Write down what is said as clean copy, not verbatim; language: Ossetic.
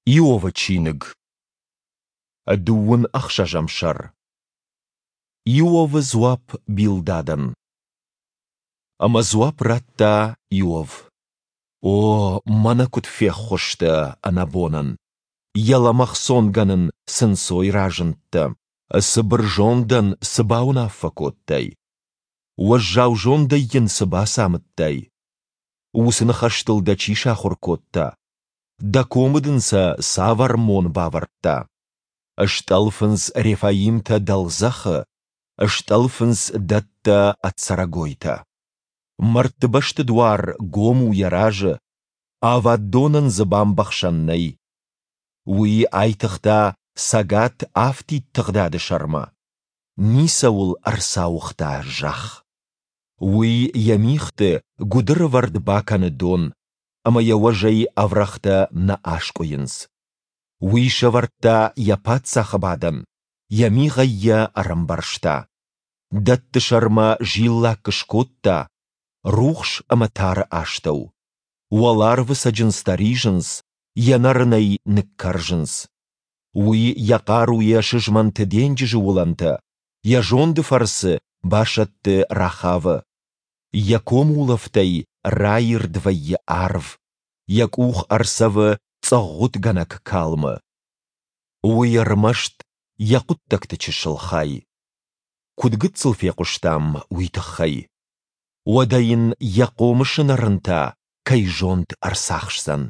Иовы чиныг, дыууын ӕхсӕзӕм сӕр. Иовы дзуапп Билдадӕн. Ӕмӕ дзуапп радта Иов: О, мӕнӕ куыд феххуыс дӕ ӕнӕбонӕн! Йӕ лӕмӕгъ цонгӕн ын цы нцой разындтӕ! Цыбыр зондӕн цы бауынаффӕ кодтай? Уӕззау зондӕй йын цы бацамыдтай? Уыцы ныхӕстыл дӕ чи сахуыр кодта? Дӕ комы дын сӕ цавӕр мон бавӕрдта? Стъӕлфынц рефаимтӕ дӕлдзӕхы, Стъӕлфынц дӕттӕ ӕд цӕрӕгойтӕ. Мӕрдты бӕсты дуар гом у йӕ разы, Ӕвӕд донӕн дзы бамбӕхсӕн нӕй. Уый айтыгъта цӕгат афтид тыгъдады сӕрмӕ, Ницӕуыл ӕрцауыгъта зӕхх. Уый йӕ мигъты гуыдыры вӕрд бакӕны дон, ӕмӕ йӕ уӕзӕй ӕврӕгътӕ нӕ аскъуыйынц. Уый сӕвӕрдта йӕ паддзахы бадӕн, йӕ мигъӕй йӕ ӕрӕмбӕрзта. Дӕтты сӕрмӕ зиллакк скодта, рухс ӕмӕ тары астӕу. Уӕларвы цӕджындзтӕ ризынц, йӕ нӕрынӕй ныккӕрзынц. Уый йӕ хъаруйӕ сызмӕнты денджызы уылӕнтӕ, йӕ зонды фӕрцы басӕтты Рахавы. Йӕ комулӕфтӕй раирд вӕййы арв, йӕ къух ӕрцӕвы цъыгъгъуытгӕнӕг калмы. Уый ӕрмӕст йӕ хъуыддӕгты чысыл хай. Куыд гыццыл фехъуыстам уый тыххӕй. Уӕдӕ йын йӕ хъомысы нӕрын та кӕй зонд ӕрцахсдзӕн?